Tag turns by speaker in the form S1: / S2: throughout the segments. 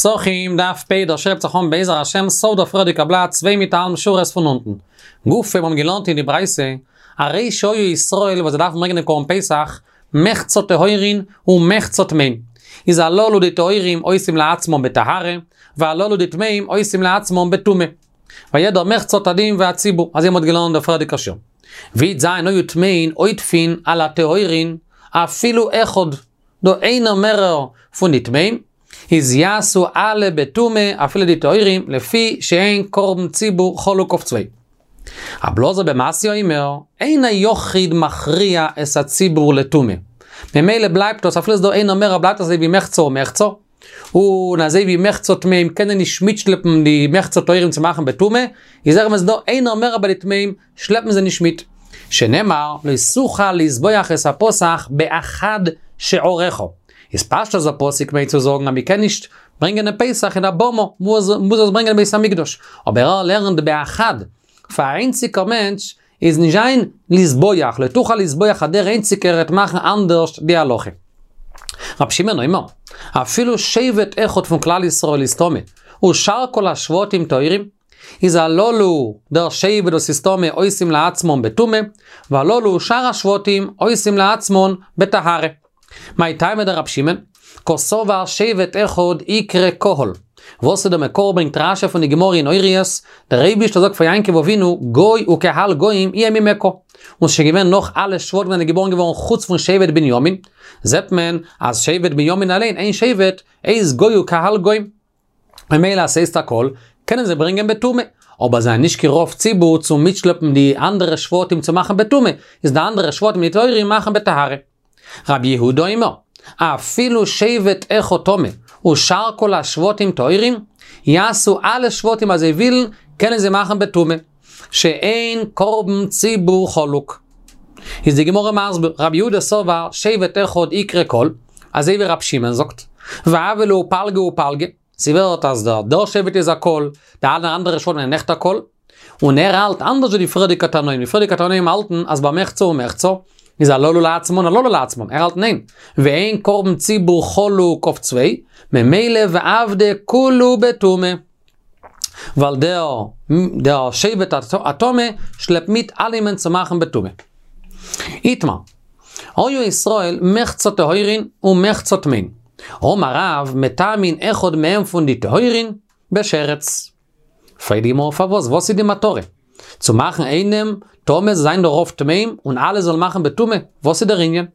S1: פסחים דף פ' דער שיעור הייבט זיך אן בעזר השם סוף דער פריערדיגער בלאט צוויי מיט א האלבן שורות פון אונטן. גופא מיר האבן געלערנט אין די ברייתא, הרי שהיו ישראל וואס זיי דארפן ברענגען דעם קרבן פסח, מחצה טהורין ומחצה טמאים. איז הללו די טהורים עושים לעצמם בטהרה, והללו די טמאים עושים לעצמם בטומאה. ויעדר מחצה תדים והציבור, אזוי מ'האט געלערנט דער פריערדיגער שיעור. ווי זיין היו טמאין עודפין על הטהורין אפילו אחד, דא איינער מערער פון די טמאים, איז יעשו אלע בטומאה אפילו די טהורים לפי שאין קרבן ציבור חלוק אויף צוויי. רבי אלעזר בן מתיא אומר, אין היחיד מכריע את הציבור לטומאה. ממילא בלייבט דאס אפילו איז דא איינער מערער בלייבט אזוי ווי מחצה ומחצה, און אזוי ווי מחצה טמאים קענען נישט מיטשלעפן די מחצה טהורים צו מאכן בטומאה, איז אויך ווען ס'איז דא איינער מער ביי די טמאים שלעפן זיי נישט מיט. שנאמר, לא תוכל לזבוח את הפסח באחד שעריך. איז פשטות דער פסוק מיינט צו זאגן אז מ'קען נישט ברענגען דעם פסח אין א במה, מוז עס ברענגען אין בית המקדש. אבער ער לערנט באחד, פאר א איינציגער מענטש איז נישט זיין לזבוח, לא תוכל לזבוח אז דער איינציגער העט מאכן אנדערש די הלכה. רבי שמעון אומר, אפילו שבט אחד פון כלל ישראל איז טמא, ושאר כל השבטים טהורים, איז הללו דער שבט וואס איז טמא עושים לעצמם בטומאה, והללו שאר השבטים עושים לעצמם בטהרה. מאי טעמא דרבי שמעון? קסבר שבט אחד איקרי קהל. וואס איז די מקור ברענגט רשי פון די גמרא אין הוריות, דער אייבישטער זאגט פאר יעקב אבינו גוי וקהל גוים יהיה ממך, און ס'איז שוין געווען נאך אלע שבטים זענען געבארן געווארן חוץ פון שבט בנימין, זעט מען אז שבט בנימין אליין איין שבט איז גוי וקהל גוים. ממילא אז ס'הייסט א קהל, קענען זיי ברענגען בטומאה, אבער זיי זענען נישט קיין רוב ציבור צו מיטשלעפן די אנדערע שבטים צו מאכן בטומאה, איז די אנדערע שבטים די טהורים מאכן בטהרה. רבי יהודה אומר, אפילו שבט אחד טמא, ושאר כל השבטים טהורים, יעשו אלע שבטים אז זיי ווילן, קענען זיי מאכן בטומאה. שאין קרבן ציבור חלוק. איז די גמרא מסביר, רבי יהודה סבר שבט אחד איקרי קהל, אזוי ווי רבי שמעון זאגט, והוה להו פלגא ופלגא, ס'ווערט אז דער דער שבט איז א קהל, די אלע אנדערע שבטים זענען ניכט א קהל, און ער האלט אנדערש ווי די פריערדיגע תנאים, די פריערדיגע תנאים האלטן אז ביי מחצה ומחצה איז הללו לעצמן הללו לעצמן, ער האלט ניין, ואין קרבן ציבור חלוק אויף צוויי, ממילא ועבדי כולהו בטומאה. ווייל דער דער שבט הטמא שלעפט מיט אלעמען צו מאכן בטומאה. איתמר, היו ישראל מחצה טהורין ומחצה טמאין. אמר רב, מטמאין אחד מהם פון די טהורין בשרץ. פרעגט די גמרא פארוואס, וואס איז די מטרה? צו מאכן איינעם טמא זאל זיין דער רוב טמאים און אלע זאלן מאכן בטומאה, וואס איז דער ענין?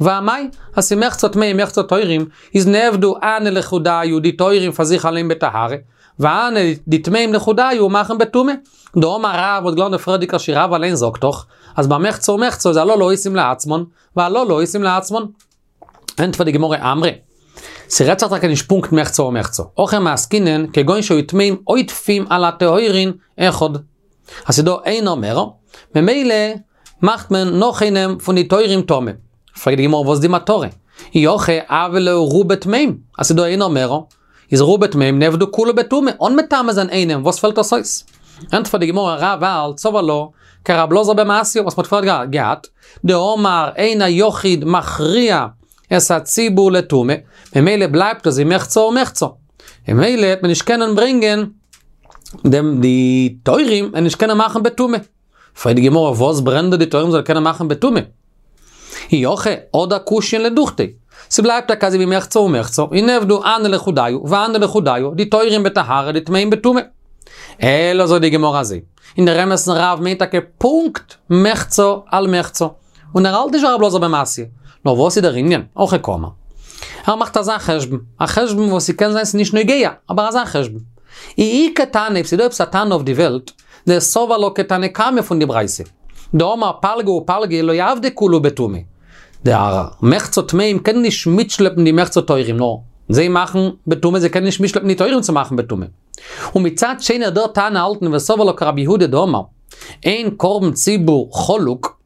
S1: ואמאי, אז ס'איז מחצה טמאים מחצה טהורים, איז נעבדו הני לחודייהו די טהורים פאר זיך אליין בטהרה, והני די טמאים לחודייהו מאכן בטומאה. דאמר רב האט געלערנט די פריערדיגע שיעור רב אליין זאגט דאך אז ביי מחצה ומחצה איז הללו עושים לעצמן והללו עושים לעצמן. ענטפערט די גמרא אמרי, ס'רעדט זיך טאקע נישט פונקט מחצה ומחצה, הכא מעסקינן כגון שהיו טמאים עודפים על הטהורין אחד. אז ס'איז דא איינער מער, ממילא מאכט מען נאך איינעם פון די טהורים טמא. פרעגט די גמרא וואס די מטרה? אי הכי הוה להו רובא טמאים, אז ס'איז דא איינער מער, איז רובא טמאים נעבדו כולהו בטומאה, אן מטמא זיין איינעם, וואס פעלט דאס אויס? ענטפערט די גמרא רב האלט סבר לה כרב אלעזר בן מתיא וואס מ'האט פריער געהאט, דאמר אין היחיד מכריע את הציבור לטומאה, ממילא בלייבט עס ווי מחצה ומחצה. ממילא העט מען נישט קענען ברענגען דעם די טהורים און נישט קענען מאכן בטומאה. פרעגט די גמרא וואס ברענט דא די טהורים זאל קענען מאכן בטומאה? אי הכי הדר קושיין לדוכתיה. ס'בלייבט טאקע אזוי ווי מחצה ומחצה, און נעבדו הני לחודייהו והני לחודייהו, די טהורים בטהרה די טמאים בטומאה. אלא זאגט די גמרא אזוי, אין דער אמת'ן רב מיינט טאקע פונקט מחצה על מחצה, און ער האלט נישט ווי רב אלעזר בן מתיא. נאר וואס איז דער ענין? הכי קאמר. ער מאכט אזא חשבון, א חשבון וואס ס'קען זיין ס'נישט נוגע, אבער אזא חשבון. אי איכא תנא, אויב ס'דא עפעס א תנא אויף די וועלט, דסבר לה כתנא קמא פון די ברייתא. דאמר פלגא ופלגא לא עבדי כולהו בטומאה. דער מחצה טמאים קען נישט מיטשלעפן די מחצה טהורים, נאר זיי מאכן בטומאה, זיי קענען נישט מיטשלעפן די טהורים צו מאכן בטומאה. ומצד שני דער תנא האלטן וסבר לה כרבי יהודה דאמר, אין קרבן ציבור חלוק,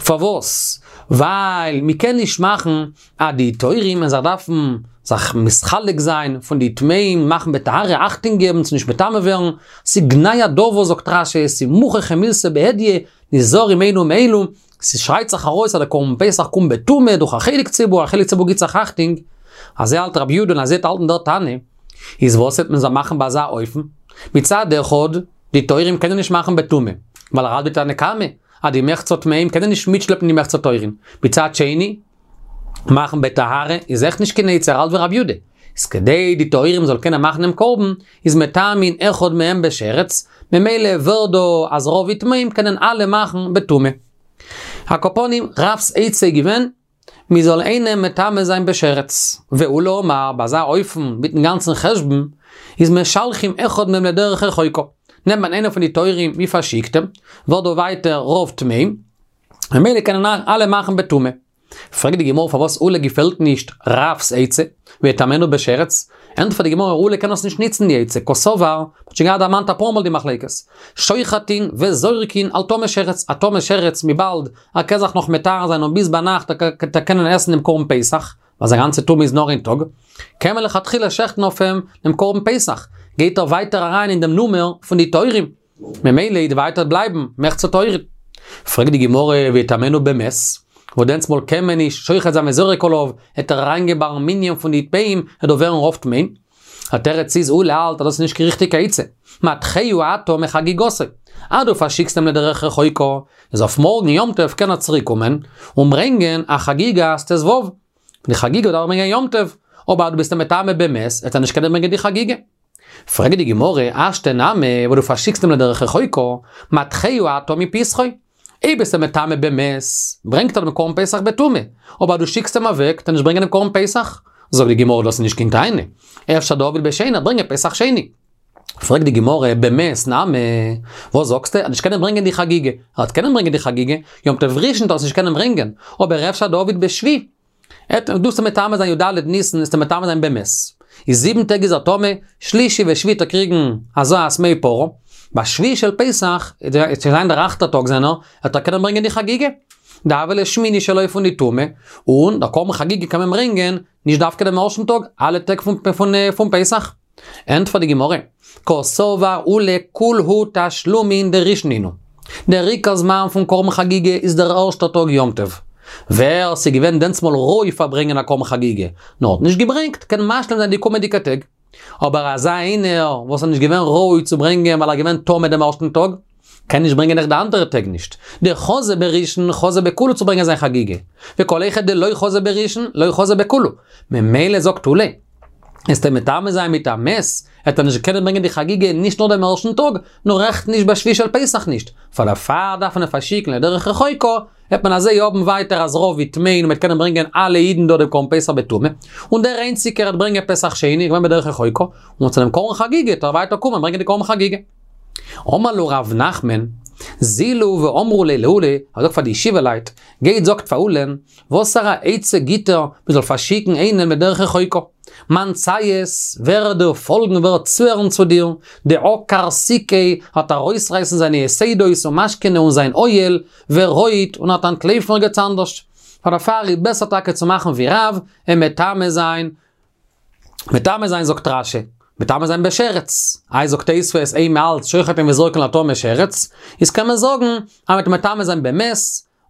S1: פארוואס? ווייל מ'קען נישט מאכן אז די טהורים ווען זיי דארפן זיך מתחלק זיין פון די טמאים מאכן בטהרה אכטונג געבן צו נישט מטמא ווערן, ס'גנאי הדבר זאגט רש"י, ס'מוכחא מילתא בהדיא, נזהרים אלו מאלו, ס'שרייט זיך ארויס אז דער קרבן פסח קומט בטומאה דורך א חלק ציבור, א חלק ציבור גיט זיך אכטונג, אזוי האלט רבי יהודה און אזוי האלטן דער תנא. איז וואס וועט מען זיי מאכן ביי אזא אופן? מצד אחד, די טהורים קענען נישט מאכן בטומאה, ווייל ער האלט ווי תנא קמא, אז די מחצה טמאים קענען נישט מיטשלעפן די מחצה טהורים. מצד שני, מאכן בטהרה איז אויך נישט קיין עצה, ער האלט ווי רבי יודא. איז כדי די טהורים זאל קענען מאכן דעם קרבן, איז מטמאין אחד מהם בשרץ, ממילא ווערט דא אז רוב טמאים קענען אלע מאכן בטומאה. על כל פנים, רב'ס עצה איז געווען, מען זאל איינעם מטמא זיין בשרץ. ועולא אמר, ביי אזא אופן, מיטן גאנצן חשבון, איז משלחין אחד מהם לדרך רחוקה. נעמט מען איינעם פון די טהורים, מען פארשיקט אים, ווערט דא ווייטער רוב טמאים, ממילא קענען אלע מאכן בטומאה. פרעגט די גמרא פארוואס עולא געפעלט נישט רב'ס עצה, ויטמאנו בשרץ, ענטפערט די גמרא עולא קען עס נישט ניצן די עצה, קסבר, מ'האט שוין געהאט דערמאנט אפאר מאל די מחלוקת, שוחטין וזורקין על טמא שרץ, א טמא שרץ וויבאלד ער קען זיך נאך מטהר זיין און ביז ביינאכט וועט ער קענען עסן דעם קרבן פסח, ווייל זיין גאנצע טומאה איז נאר איין טאג, קען מען לכתחילה שעכטן אויף אים דעם קרבן פסח, גייט ער ווייטער אריין אין דעם נומער פון די טהורים, ממילא וועט ווייטער בלייבן מחצה טהורים. פרעגט די גמרא ויטמאנו במת, וואס דענסמאל קען מען נישט שוחט זיין וזורק עליו, העט ער אריינגיין ביים מנין פון די טמאים, העט דא ווערן רוב טמאים. א תירוץ איז עולא האלט אז דאס איז נישט קיין ריכטיגע עצה. מדחהו אתה מחגיגתו. אז דו פארשיקסט אים לדרך רחוקה, איז אויף מארגן יום טוב קען ער צוריק קומען און ברענגען א חגיגת ט"ו. די חגיגה דארף ער ברענגען יום טוב, אבער אז דו ביסט אים מטמא במת, וועט ער נישט קענען ברענגען די חגיגה. פרעגט די גמרא, השתא נמי, וואס דו פארשיקסט אים לדרך רחוקה, מדחהו אתה מפסחו. אויב ביסט אים מטמא במת, ברענגט ער דעם קרבן פסח בטומאה, אבער אז דו שיקסט אים אוועק, וועט ער נישט ברענגען דעם קרבן פסח. זאגט די גמרא, דאס איז נישט קיין טענה. אפשר דעביד בשני, ער ברענגען פסח שני. פרעגט די גמרא, במת נמי, וואס זאגסטו, ער וועט נישט קענען ברענגען די חגיגה. ער וועט קענען ברענגען די חגיגה, יום טוב ראשון וועט ער עס נישט קענען ברענגען, אבער אפשר דעביד בשביעי. עט, דו וועסט אים מטמא זיין י"ד ניסן, וועסט אים מטמא זיין במת. איז זיבן טעג איז ער טמא, שלישי ושביעי וועט ער קריגן הזאת מי פרה, ביי שביעי של פסח, וועט שוין זיין דער אכטער טאג זיינער, וועט ער קענען ברענגען די חגיגה. דהוה ליה שמיני שלו פון די טומאה, און דער קרבן חגיגה קען מען ברענגען, נישט דווקא דעם ערשטן טאג, אלע טעג פון פסח. ענטפערט די גמרא, קסבר עולא כולהו תשלומין דראשון נינהו. דער עיקר זמן פון קרבן חגיגה איז דער ערשטער טאג יום טוב. ווער ס'איז געווען דענסמאל ראוי פאר ברענגען א קרבן חגיגה, נאר האט נישט געברענגט, קען משלים זיין די קומענדיגע טעג. אבער אזא איינער וואס איז נישט געווען ראוי צו ברענגען ווייל ער איז געווען טמא דעם ערשטן טאג, קען נישט ברענגען אויך די אנדערע טעג נישט. דחזא בראשון חזא בכולהו צו ברענגען זיין חגיגה. וכל היכא דלא חזא בראשון, לא חזא בכולהו. ממילא זאגט עולא, וועסט אים מטמא זיין מיט א מת, וועט ער נישט קענען ברענגען די חגיגה נישט נאר דעם ערשטן טאג, נאר אויך נישט ביי שביעי של פסח נישט. פאר דערפאר דארף מען אים פארשיקן לדרך רחוקה, וועט מען אזוי האבן ווייטער אז רוב טמאים און מ'וועט קענען ברענגען אלע אידן דא דעם קרבן פסח בטומאה, און דער איינציגער וועט ברענגען פסח שני, געווען בדרך רחוקה, און צו דעם קרבן חגיגה וועט ער ווייטער קומען ברענגען די קרבן חגיגה. אמר להו רב נחמן, זילו ואמרו ליה לעולא, ער זאגט פאר די ישיבה לייט, גייט זאגט פאר עולא'ן, וואסערע עצה גיט ער, מען זאל פארשיקן איינעם בדרך רחוקה? מאן ציית, ווער וועט דיר פאלגן, ווער וועט צוהערן צו דיר, דעקר סיקיה, וועט ארויסרייסן זיינע יתדות ומשכנא און זיין אוהל, ורוט, און וועט אנטלויפן ערגעץ אנדערש. פאר דערפאר איז בעסער טאקע צו מאכן ווי רב, אים מטמא זיין, מטמא זיין זאגט רש"י, מטמא זיין בשרץ, איי זאגט תוספות איינמאל מ'האלט שוחטין וזורקין על טמא שרץ, איז קען מען זאגן אז מ'וועט מטמא זיין במת,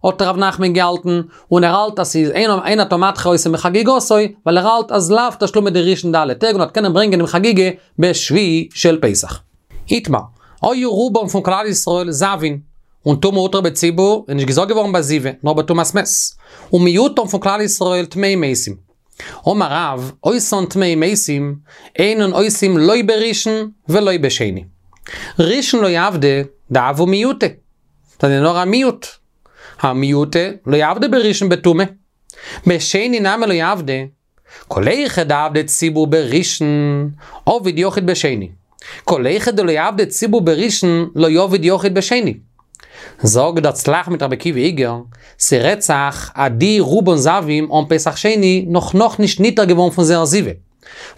S1: האט ר' נחמן געהאלטן, און ער האלט אז ס'איז אין אין אתה מדחה אותו מחגיגתו, ווייל ער האלט אז לאו תשלומי דראשון די אלע טעג און וועט קענען ברענגען דעם חגיגה בשביעי של פסח. איתמר, היו רובם פון כלל ישראל זבין, און טומאה הותרה בציבור איז נישט געזאגט געווארן ביי זיבה, נאר בטומאת מת, ומיעוטם פון כלל ישראל טמאי מתים. אמר רב, אותן טמאי מתים, אינן עושים לא בראשון ולא בשני. ראשון לא עבדי, דהוו מיעוטא. זענען נאר א מיעוט. הא מיעוטא לא עבדי בראשון בטומאה. בשני נמי לא עבדי. כל היכא דעבדי ציבור בראשון, עביד יחיד בשני. כל היכא דלא עבדי ציבור בראשון, לא עביד יחיד בשני. זאגט דער צל"ח מיט רבי עקיבא איגר, ס'רעדט זיך אז די רובן זבים האבן פסח שני נאך נאכנישט נטהר געווארן פון זייער זיבה.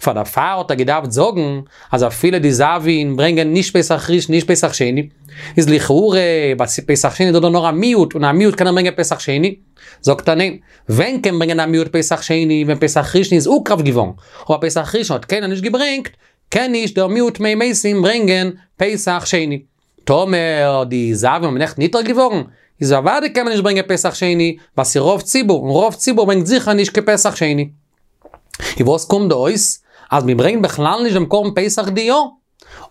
S1: פאר דערפאר האט ער געדארפט זאגן אז אפילו די זבין ברענגען נישט פסח ראשון נישט פסח שני, איז לכאורה ביי פסח שני איז דא דא נאר א מיעוט און א מיעוט קען ער ברענגען פסח שני, זאגט ער ניין, ווען קען ברענגען א מיעוט פסח שני ווען פסח ראשון איז הוקרב געווארן, אבער פסח ראשון האט קיינער נישט געברענגט, קען נישט דער מיעוט טמאי מתים ברענגען פסח שני. טאמער די זבים האבן נעכטן נטהר געווארן, איז אוודאי קען מען נישט ברענגען פסח שני, ווייל ס'איז רוב ציבור, און רוב ציבור ברענגט זיכער נישט קיין פסח שני. און וואס קומט דא אויס? אז מען ברענגט בכלל נישט דעם קרבן פסח די יאר.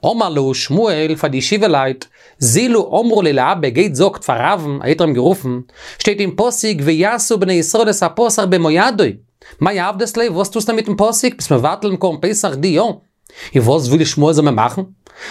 S1: אמר להו שמואל פאר די ישיבה לייט, זילו אמרו ליה לאבא גייט זאגט פאר רב'ן, אזוי האט ער אים גערופן, שטייט אין פסוק ויעשו בני ישראל את הפסח במועדו, מאי עבדת ליה וואס טוסטו מיטן פסוק, ביסט מבטל דעם קרבן פסח די יאר? און וואס וויל שמואל זאל מען מאכן?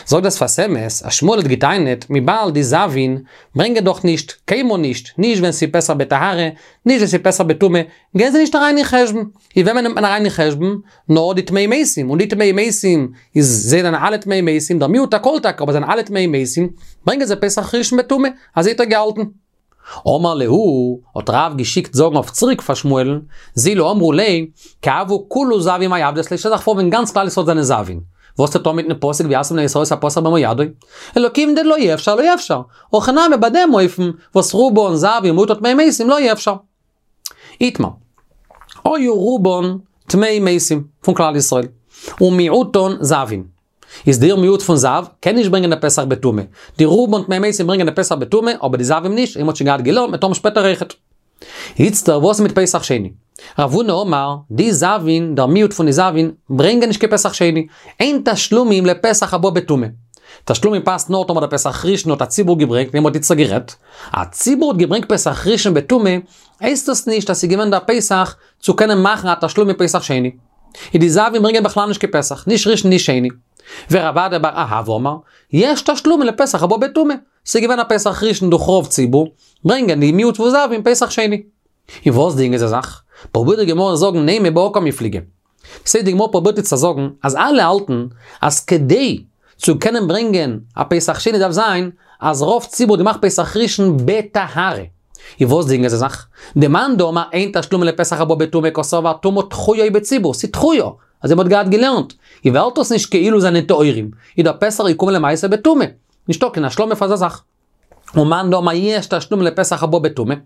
S1: זאגט דער שפת אמת אז שמואל האט געטענה'ט וויבאלד די זבין ברענגען דאך נישט, קיינמאל נישט, נישט ווען ס'איז פסח בטהרה, נישט ווען ס'איז פסח בטומאה, גייען זיי נישט אריין אין חשבון. און וועמען נעמט מען אריין אין חשבון? נאר די טמאי מתים, און די טמאי מתים איז זיי זענען אלע טמאי מתים, דער מיעוט הכל טאקע, אבער זיי זענען אלע טמאי מתים, ברענגען זיי פסח ראשון בטומאה, אזוי האט ער געהאלטן. אמר להו, האט רב געשיקט זאגן אויף צוריק פאר שמואל'ן, זילו אמרו ליה, כי הוו כולהו זבין מאי עבדת ליה, שטעל זיך פאר ווען גאנץ כלל ישראל זענען זבין, וואס טוט מען מיטן פסוק ויעשו בני ישראל את הפסח במועדו? אלא כיון דלא אפשר לא אפשר, הכא נמי ביי דעם אופן וואס רובן זבין ומיעוטן טמאי מתים לא אפשר. איתמר. היו רובן טמאי מתים פון כלל ישראל, ומיעוטן זבין. איז דער מיעוט פון זב קען נישט ברענגען די פסח בטומאה. די רובן טמאי מתים ברענגען די פסח בטומאה, אבער די זבים נישט, ווי מ'האט שוין געהאט געלערנט מ'וועט האבן שפעטער אויכעט. איצטער וואס איז מיט פסח שני? רב הונא אמר, די זבין, דער מיעוט פון די זבין, ברענגען נישט קיין פסח שני. אין תשלומים לפסח הבא בטומאה. תשלומים פאסט נאר טאמער דער פסח ראשון האט א ציבור געברענגט, ווי מ'האט איצטער גערעדט. א ציבור האט געברענגט פסח ראשון בטומאה, הייסט עס נישט אז ס'איז געווען דער פסח צו קענען מאכן א תשלומי פסח שני. איז די זבין ברענגען בכלל נישט קיין פסח, נישט ראשון נישט שני. ורב אדא בר אהבה אמר, יש תשלומין לפסח הבא בטומאה. ס'איז געווען א פסח ראשון דורך רוב ציבור, ברענגען די מיעוט פון זבין פסח שני. און וואס דינגען זיי זיך? פרובירט די גמרא זאגן נימא בהא קמיפלגי. סא די גמרא פרובירט איצט צו זאגן אז אלע האלטן אז כדי צו קענען ברענגען א פסח שני דארף זיין אז רוב ציבור האט געמאכט פסח ראשון בטהרה. און וואס דינגען זיי זיך? דמאן דאמר אין תשלומין לפסח הבא בטומאה קסבר טומאה דחויה היא בציבור, ס'איז דחויה, אזוי מ'האט געהאט געלערנט, און ווערט דאס נישט כאילו זענען טהורים, איז דער פסח געקומען למעשה בטומאה. נישטא קיין השלמה פאר אזא זאך. ומאן דאמר יש תשלומין לפסח הבא בטומאה,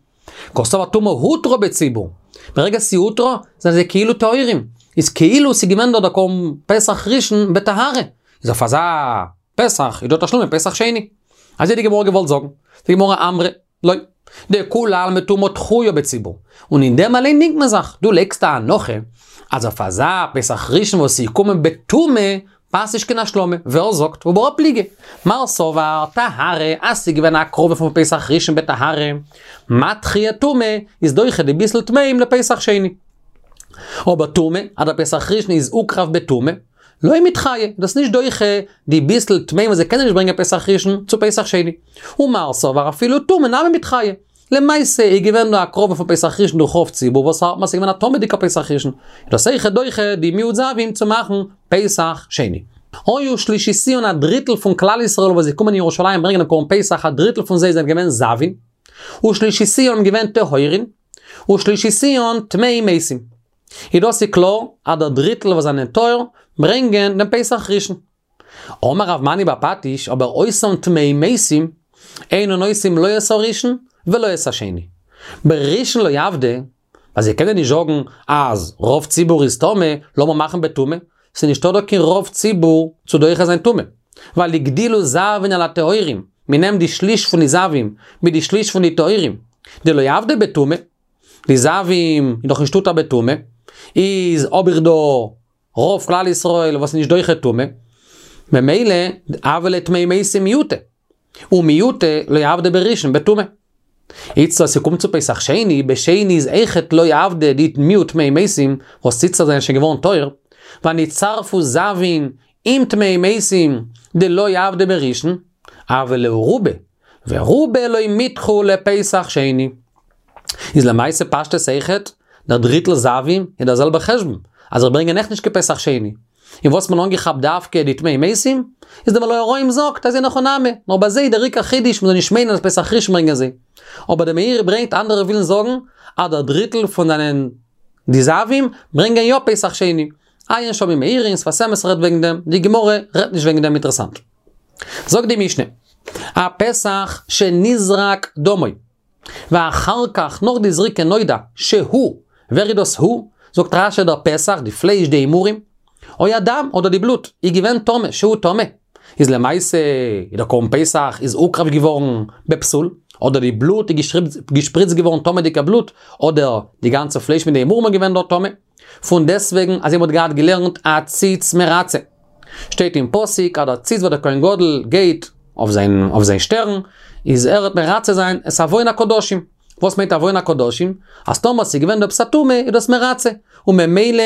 S1: קסבר טומאה הותרה בציבור, ברגע ס'איז הותרה, זענען זיי כאילו טהורים, איז כאילו ס'איז געווען דא דער קרבן פסח ראשון בטהרה, איז אויף אזא פסח איז דא תשלומין פסח שני. אזוי האט די גמרא געוואלט זאגן. די גמרא אמרה, לא. דכולי עלמא טומאה דחויה בציבור. און אין דעם אליין דינגט מען זיך. דו לייגסט א הנחה אז אויף אזא פסח ראשון וואס איז געקומען בטומאה, פאסט נישט קיין השלמה. ווער זאגט? ובהא פליגי. מר סבר טהרה, אז ס'איז געווען א הקרבה פון פסח ראשון בטהרה, מדחיא טומאה, איז דוחה די ביסל טמאים לפסח שני. אבער טומאה, אז דער פסח ראשון איז הוקרב בטומאה, לא מידחיא, דאס נישט דוחה די ביסל טמאים וואס זיי קענען נישט ברענגען פסח ראשון צו פסח שני. ומר סבר אפילו טומאה נמי מידחיא. למעשה איז געווען דא הקרבה פון פסח ראשון דורך רוב ציבור וואס האלט אז ס'איז געווען א טמא'דיגע פסח ראשון, איז דאס אויכעט דוחה די מיעוט זבים צו מאכן פסח שני. היו שלישיתיהון א דריטל פון כלל ישראל וואס איז געקומען אין ירושלים ברענגען דעם קרבן פסח א דריטל פון זיי זענען געווען זבין, ושלישיתיהון געווען טהורין, ושלישיתיהון טמאי מתים. איז דאס איז קלאר אז דער דריטל וואס זענען טהור ברענגען דעם פסח ראשון. אמר רב מני בר פטיש, אבער אותן טמאי מתים, אינן עושים לא את הראשון ולא את השני. בראשון לא עבדי, ווייל זיי קענען נישט זאגן אז רוב ציבור איז טמא, לאמיר מאכן בטומאה, ס'איז נישטא דא קיין רוב ציבור צו דוחה זיין טומאה. ווייל הגדילו זבין על הטהורים, מ'נעמט די שליש פון די זבים מיט די שליש פון די טהורים, דלא עבדי בטומאה, די זבים איז דאך נישט הותר בטומאה, איז האב איך דא רוב כלל ישראל וואס איז נישט דוחה טומאה, ממילא הוו להו טמאי מתים מיעוטא, ומיעוטא לא עבדי בראשון בטומאה. איצט אז ס'קומט צו פסח שני, בשני איז אויכעט לא עבדי די מיעוט טמאי מתים, וואס איצטער זענען שוין געווארן טהור, ונצטרפו זבין עם טמאי מתים דלא עבדי בראשון, הוו להו רובא, ורובא לא מידחו לפסח שני. איז למעשה פשטות אויכעט, דער דריטל זבים איז דער זעלבער חשבון, אז זיי ברענגען אויך נישט קיין פסח שני. און וואס מען אנגעכאפט דווקא די טמאי מתים, איז דער מלא הרועים זאגט אז אין הכי נמי, נאר ביי זיי דער עיקר חידוש מ'זאל נישט מיינען אז פסח ראשון ברענגען זיי. אבער דער מאירי ברענגט אנדערע ווילן זאגן אז דער דריטל פון זענען די זבים ברענגען יא פסח שני. עיין שם אין מאירי אין שפת אמת רעדט וועגן דעם, די גמרא רעדט נישט וועגן דעם אינטערעסאנט. זאגט די משנה, הפסח שנזרק דמו, ואחר כך נאך די זריקה נודע שהוא, ווער איז דאס הוא? זאגט רש"י דער פסח, די פלייש, די אימורים, או הדם, אדער די בלוט, איז געווען טמא, שהוא טמא. איז למעשה איז דער קרבן פסח איז הוקרב געווארן בפסול, אדער די בלוט איז געשפריצט געווארן טמא'דיגע בלוט, אדער די גאנצע פלייש מיט די אימורים איז געווען דארט טמא. פון דעסטוועגן אזוי מ'האט געהאט געלערנט הציץ מרצה. שטייט אין פסוק אז דער ציץ וואס דער כהן גדול גייט אויף זיין אויף זיין שטערן איז ער וועט מרצה זיין את עוון הקדשים. וואס מיינט עוון הקדשים? אז טאמער ס'איז געווען דא עפעס א טומאה איז דאס מרצה, און ממילא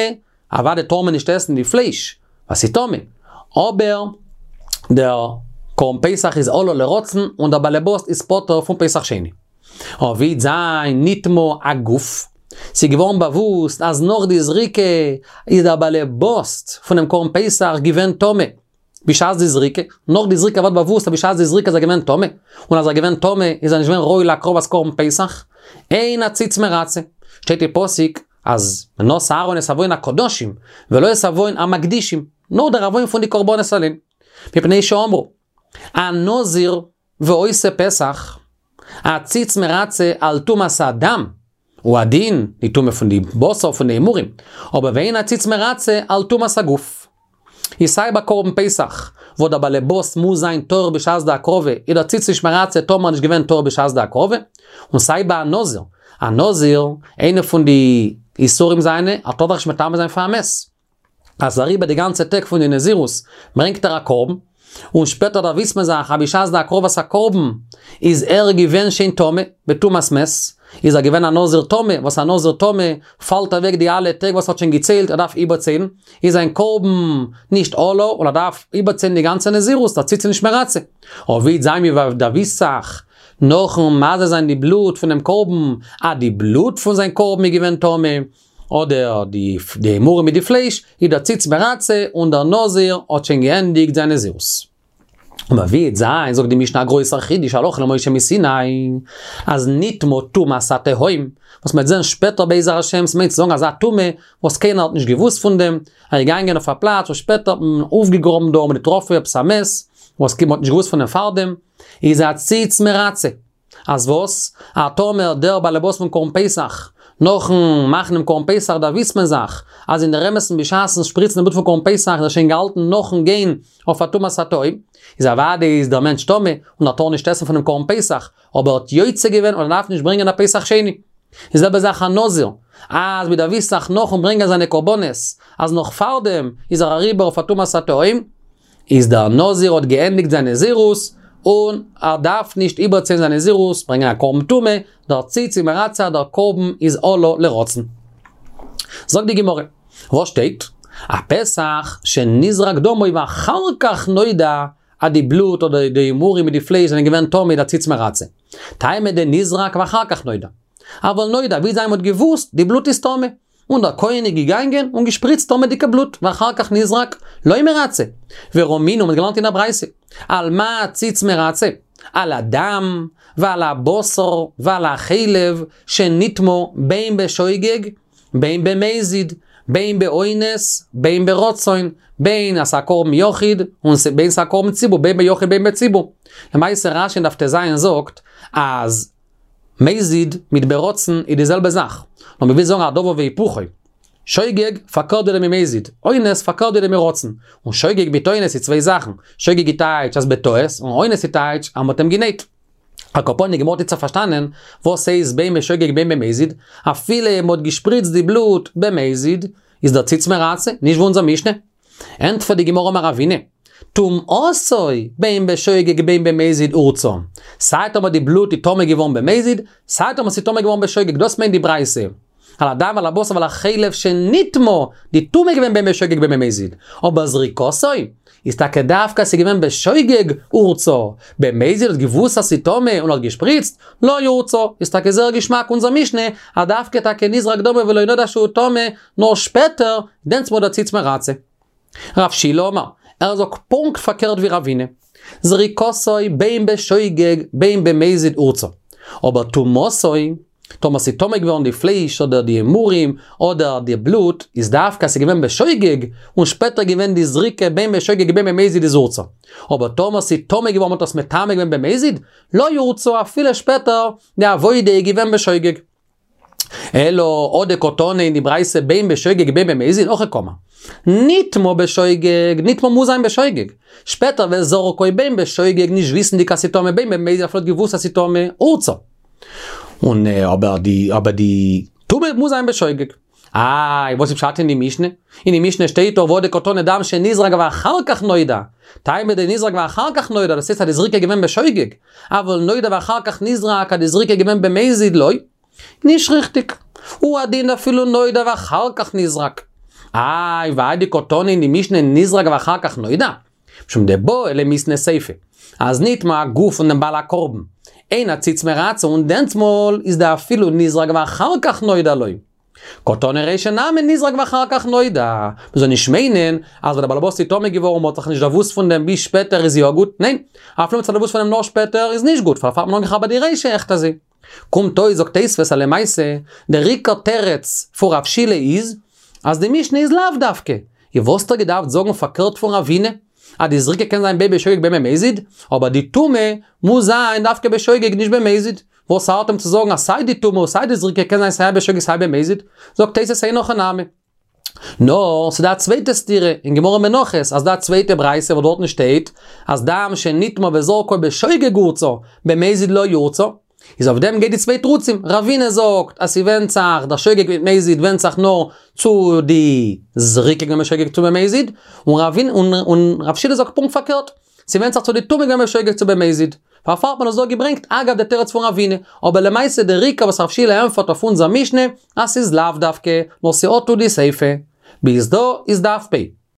S1: אוודאי טאר מען נישט עסן די פלייש ווייל ס'איז טמא, אבער דער קרבן פסח איז עלה לרצון און דער באלעבאס איז פטור פון פסח שני. אבער ווי וועט זיין נטמא הגוף, ס'איז געווארן באוואוסט אז נאך די זריקה איז דער באלעבאס פונעם קרבן פסח געווען טמא, בשעת די זריקה, נאך די זריקה ווערט באוואוסט אז בשעת די זריקה איז ער געווען טמא, און אז ער איז געווען טמא איז ער נישט געווען ראוי להקרבת קרבן פסח, אין הציץ מרצה, שטייט אין פסוק אז ונשא אהרן את עוון הקדשים ולא את עוון המקדישים, נאר דער עוון פון די קרבנות אליין, מפני שאמרו, הנזיר ועושה פסח, הציץ מרצה על טומאת הדם, הוא הדין, די טומאה פון די בשר פון די אימורים, אבער ואין הציץ מרצה על טומאת הגוף. איז סיי ביי קרבן פסח, וואס דער באלעבאס מוז זיין טהור בשעת די הקרבה, איז דער ציץ נישט מרצה טאמער נישט געווען טהור בשעת די הקרבה, און סיי ביי א נזיר, א נזיר, איינע פון די איסורים זיינע, ער טאר זיך נישט מטמא זיין פאר א מת. אז אריבער די גאנצע טעג פון די נזירות ברענגט ער א קרבן, און שפעטער דערוויסט מען זיך אז בשעת די הקרבת הקרבן איז ער געווען שוין טמא, בטומאת מת, איז ער געווען א נזיר טמא, וואס א נזיר טמא פאלט אוועק די אלע טעג וואס ער האט שוין געציילט, ער דארף איבערציילן, איז זיין קרבן נישט עלה, און ער דארף איבערציילן די גאנצע נזירות, דער ציץ איז נישט מרצה. אבער ווי וועט זיין מ'דערוויסט זיך נאכן מזה זיין די בלוט פונעם קרבן, אז די בלוט פון זיין קרבן איז געווען טמא, אדער די אימורים מיט די פלייש, איז דער ציץ מרצה און דער נזיר האט שוין געענדיגט זיין נזירות. אבער ווי וועט זיין, זאגט די משנה א גרויסער חידוש הלכה למשה מסיני, אז נטמאה טומאת התהום, וואס מ'וועט זען שפעטער בעזר השם, ס'מיינט צו זאגן אזא טומאה וואס קיינער האט נישט געוואוסט פון דעם, ער איז געגאנגען אויף א פלאץ וואס שפעטער האט מען אויפגעגראבן דא און מ'האט געטראפן עפעס א מת, וואס מ'האט נישט געוואוסט פון דעם פארדעם, איז הציץ מרצה. אז וואס? א טאמער דער באלעבאס פון קרבן פסח, נאכן מאכן דעם קרבן פסח דערוויסט מען זיך אז אין דער אמת'ן בשעת'ן שפריצן די בלוט פון קרבן פסח איז ער שוין געהאלטן נאכן גיין אויף א טומאת התהום, איז אוודאי איז דער מענטש טמא און ער טאר נישט עסן פונעם קרבן פסח, אבער ער האט יוצא געווען און ער דארף נישט ברענגען א פסח שני. די זעלבע זאך א נזיר, אז מען דערוויסט זיך נאכן ברענגען זיינע קרבנות אז נאך פארדעם איז ער אריבער אויף א טומאת התהום, איז דער נזיר האט געענדיגט זיין נזירות, און ער דארף נישט איבערציילן זיין נזירות, ברענגען א קרבן טומאה, דער ציץ איז מרצה דער קרבן איז עלה לרצון. זאגט די גמרא, וואס שטייט? הפסח שנזרק דמו ואחר כך נודע אז די בלוט אדער די אימורים מיט די פלייש זענען געווען טמא איז דער ציץ מרצה. טעמא דנזרק ואחר כך נודע. אבל נודע, ווי זיי מ'האט געוואוסט, די בלוט איז טמא. און דער כהן איז געגאנגען און געשפריצט טמא'דיגע בלוט, ואחר כך נזרק, לא מרצה. ורמינהו, מ'האט געלערנט אין א ברייתא, על מה הציץ מרצה? על הדם, ועל הבשר, ועל החלב, שנטמא בין בשוגג, בין במזיד, בין באונס, בין ברצון, בין אז ס'א קרבן יחיד, און בין ס'א קרבן ציבור, בין ביחיד בין בציבור. למעשה רש"י אין דף ט"ז זאגט, אז מזיד מיט ברצון איז די זעלבע זאך, נאר מ'וויל זאגן א דבר והיפוכו. שוגג פארקערט ווידער ממזיד, אונס פארקערט ווידער מרצון. און שוגג מיט אונס איז צוויי זאכן, שוגג איז טייטש אז בטעות, און אונס איז טייטש אז מ'האט אים גענייט. על כל פנים די גמרא האט איצטער פארשטאנען וואס הייסט בין בשוגג בין במזיד, אפילו מ'האט געשפריצט די בלוט במזיד, איז דער ציץ מרצה, נישט ווי אונזער משנה. ענטפערט די גמרא אמר רבינא, טומאתו בין בשוגג בין במזיד הורצה, סיי טאמער די בלוט איז טמא געווארן במזיד, סיי טאמער ס'איז טמא געווארן בשוגג, דאס מיינט די ברייתא, על הדם ועל הבשר ועל החלב שנטמא, די טומאה איז געווען בין בשוגג בין במזיד, אבער זריקתו איז טאקע דווקא ס'איז געווען בשוגג הורצה, במזיד האט געוואוסט אז ס'איז טמא און האט געשפריצט, לא הורצה, איז טאקע זייער געשמאק אונזער משנה, אז דווקא טאקע נזרק דמו ולא נודע שהוא טמא, נאר שפעטער, דענסמאל דער ציץ מרצה. רב שילא אמר, ער זאגט פונקט פארקערט ווי רבינא. זריקתו בין בשוגג בין במזיד הורצה. אבער טומאתו, טאמער ס'איז טמא געווארן די פלייש אדער די אימורים אדער די בלוט, איז דווקא ס'איז געווען בשוגג, און שפעטער געווען די זריקה בין בשוגג בין במזיד איז הורצה. אבער טאמער ס'איז טמא געווארן מ'האט עס מטמא געווען במזיד, לא הורצה אפילו שפעטער די עבודה איז געווען בשוגג. אלא הא דקתני אין די ברייתא בין בשוגג בין במזיד הכי קאמר. נטמא בשוגג, נטמא מוז זיין בשוגג. שפעטער וזרקו בין בשוגג נישט וויסנדיג אז ס'טמא בין במזיד אפילו האט געוואוסט אז ס'טמא הורצה. און אבער די אבער די טומאה מוז זיין בשוגג. איי, וואס איז פשט אין די משנה? אין די משנה שטייט דאך והא דקתני דם שנזרק ואחר כך נודע. טעמא דנזרק ואחר כך נודע, דאס הייסט אז די זריקה איז געווען בשוגג. אבל נודע ואחר כך נזרק, אז די זריקה איז געווען במזיד לא. נישט ריכטיג. הוא הדין אפילו נודע ואחר כך נזרק. איי, והאי דקתני אין די משנה נזרק ואחר כך נודע? משום דבעי למיתנא סיפא. אז נטמא הגוף פון דעם בעל הקרבן. אין הציץ מרצה און דענסמאל איז דאפילו נזרק ואחר כך נודע לא. קתני רישא נמי נזרק ואחר כך נודע. מ'זאל נישט מיינען אז ווען דער באלעבאס איז טמא געווארן מ'האט זיך נישט דערוואוסט פון דעם ביז שפעטער איז יא גוט, ניין, אפילו מ'האט זיך דערוואוסט פון דעם נאר שפעטער איז נישט גוט, פארפאר האט מען אנגעכאפט ביי די רישא עכט אזוי. קומט אויס זאגט תוספות אז למעשה דער עיקר תירוץ פון רב שילא איז אז די משנה איז לאו דווקא, און וואס האט ער געדארפט זאגן פארקערט פון רבינא אז די זריקה קען זיין בין בשוגג בין במזיד, אבער די טומאה מוז זיין דווקא בשוגג נישט במזיד, וואס ארט אים צו זאגן אז סיי די טומאה און סיי די זריקה קען זיין סיי בשוגג סיי במזיד, זאגט תוספות אין הכי נמי. נאר ס'דא א צווייטע סתירה אין גמרא מנחות אז דא א צווייטע ברייתא וואס דארטן שטייט אז דם שנטמא וזרקו בשוגג הורצה, במזיד לא יורצה, איז אויף דעם גייט די צוויי תרוצים, רבינא זאגט אז ס'ווענדט זיך, דער שוגג מיט מזיד ווענדט זיך נאר צו די זריקה געווען בשוגג צו במזיד, און רב שילא זאגט פונקט פארקערט, ס'ווענדט זיך צו די טומאה געווען בשוגג צו במזיד. פארפאר האט מען עס דא געברענגט אגב די תירוץ פון רבינא, אבער למעשה דער עיקר וואס רב שילא ענפערט אויף אונזער משנה אז ס'איז לאו דווקא, נאר ס'האט צו די סיפא. ביז דא איז דף פ'.